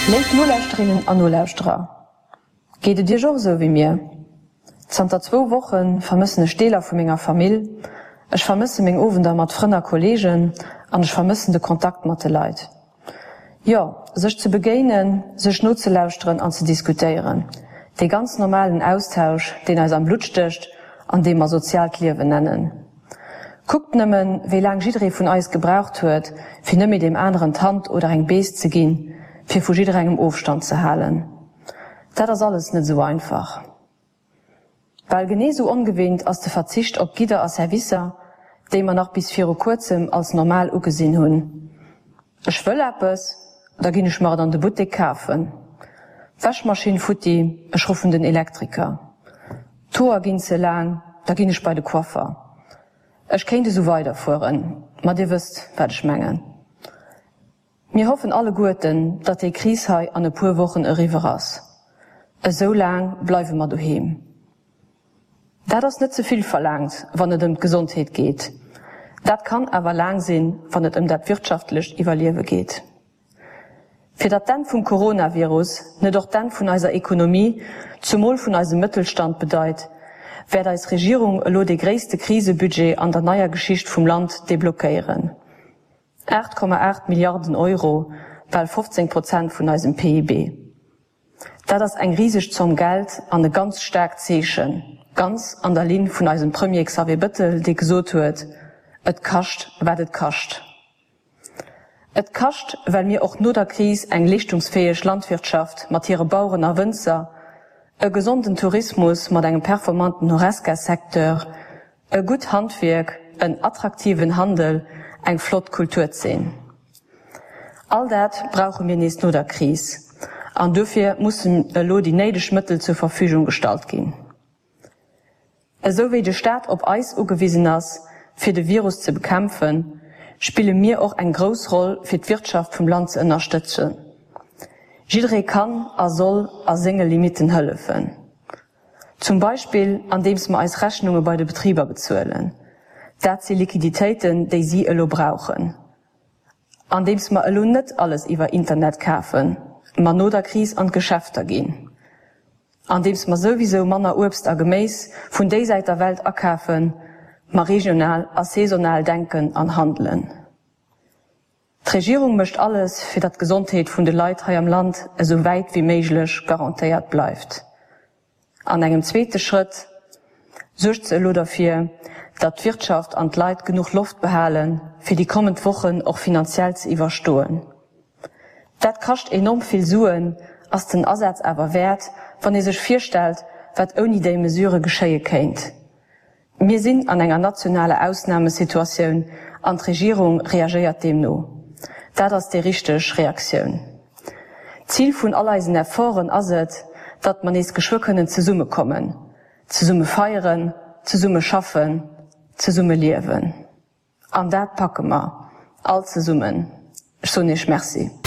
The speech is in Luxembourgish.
Léif Nolauschterinnen an Nolauschterer, geet et Iech och esou wéi mir? Zanter zwou Woche vermëssen ech Deeler vu menger Famill, ech vermësse meng Owender mat Frënn a Kolleegen an ech vermëssen de Kontakt mat de Leit. Jo, sech ze begéinen, sech nozelauschteren an ze diskutéieren. Dee ganz normalen Austausch, deen eis am Blutt stécht an dee mer soziaalt Liewen nennen. Kuckt nëmmen, wéi laang jidderee vun eis gebraucht huet, fir net méi deem aneren d'Hand oder eng Bees ze ginn, fir vu jidderengem Ofstand ze halen. Dat ass alles net esou einfach. Bal genee sou ongewinnt ass de Verzicht op Gidder a Servicer, déi mer nach bis viru kuerzem als normal ugesinn hunn. Ech wëll eppes, da ginn ech mer et an de Buttek kafen. Wäschmaschinn futti, ech ruffen den Elektriker. D'Hoer ginn ze laang, da ginn ech bei de Coiffer. Ech kéint esou weiderfueren, ma dir wësst, wat ech mengen. Mir hoffen alleguerten, datt déi Kris hei an e puer Wochen eriwwer ass. Esou laang bleiwe mer doheem. Dat ass net ze vill verlaangt, wann et ëm d'Gesondheet geet. Dat kann awer laang sinn, wann et ëm dat wirtschaftlecht Iwwerliewe geet. Fir datt d'Enn vum Coronavirus net och d'Enn vun eiser Ekonomie, zumol vun eisem Mëttelstand bedeit, wäert eis Regierung elo dee gréisste Krisebudget an der neier Geschicht vum Land deblockéieren. 8,8 Milliarden Euro, bal 15 Prozent vun eisem PIB. Dat ass eng riseg Zomm Geld an e ganz staarkt Zeechen, ganz an der Linn vun eisem Premier Xavier Bëttel, dee gesot huet, Et kascht, wat et kascht. Et kascht, well mir och no der Kris eng leeschtungsfäeg Landwirtschaft mat hire Baueren a Wënzer, e gesonden Tourismus mat engem performanten Horesca-Secteur, E gutt Handwierk, en attraktiven Handel, eng flott Kulturzeen. All dat brauche mir nees no der Kris an dofir mussen elo déi néideg Mëttel zur Verfügung gestallt ginn. Esou wéi de Staat op eis ugewisen ass, fir de Virus ze bekämpfen, spille mir och eng grouss Roll fir d'Wirtschaft vum Land ze ënnerstëtzen. Jidderee kann a soll a senge Limitten hëllefen. Zum Beispill andeems mer eis Rechnunge bei de Betriber bezuelen. Dat si Liquiditéiten, déi si elo brauchen. Andeems mer elo net alles iwwer Internet kafen, ma no der Kris an d'Geschäfter ginn. Andeems mer souwisou manner Uebst a Geméis vun déi Säit der Welt akafen, ma regional a saisonal denken an handelen. D'Regierung mécht alles, fir datt d'Gesondheet vun de Leit hei am Land esou wäit wéi méiglech garantéiert bleift. An engem zweete Schrëtt suergt se elo derfir, datt d'Wirtschaft an d'Leit genuch Loft behalen, fir déi kommend Wochen och finanziell ze iwwerstoen. Dat kascht enorm vill Suen, ass den Asaz awer wäert, wann ee sech virstellt, wat ouni déi Mesure geschéie kéint. Mir sinn an enger nationaler Ausnamesituatioun an d'Regierung reagéiert deemno. Dat ass déi richteg Reaktioun. D'Zil vun all eisen Efforten ass et, datt mer nees geschwë kënnen zesummekommen, zesumme feieren, zesumme schaffen, zesumme liewen. An dat packe mer all zesummen. Ech soen Iech Merci.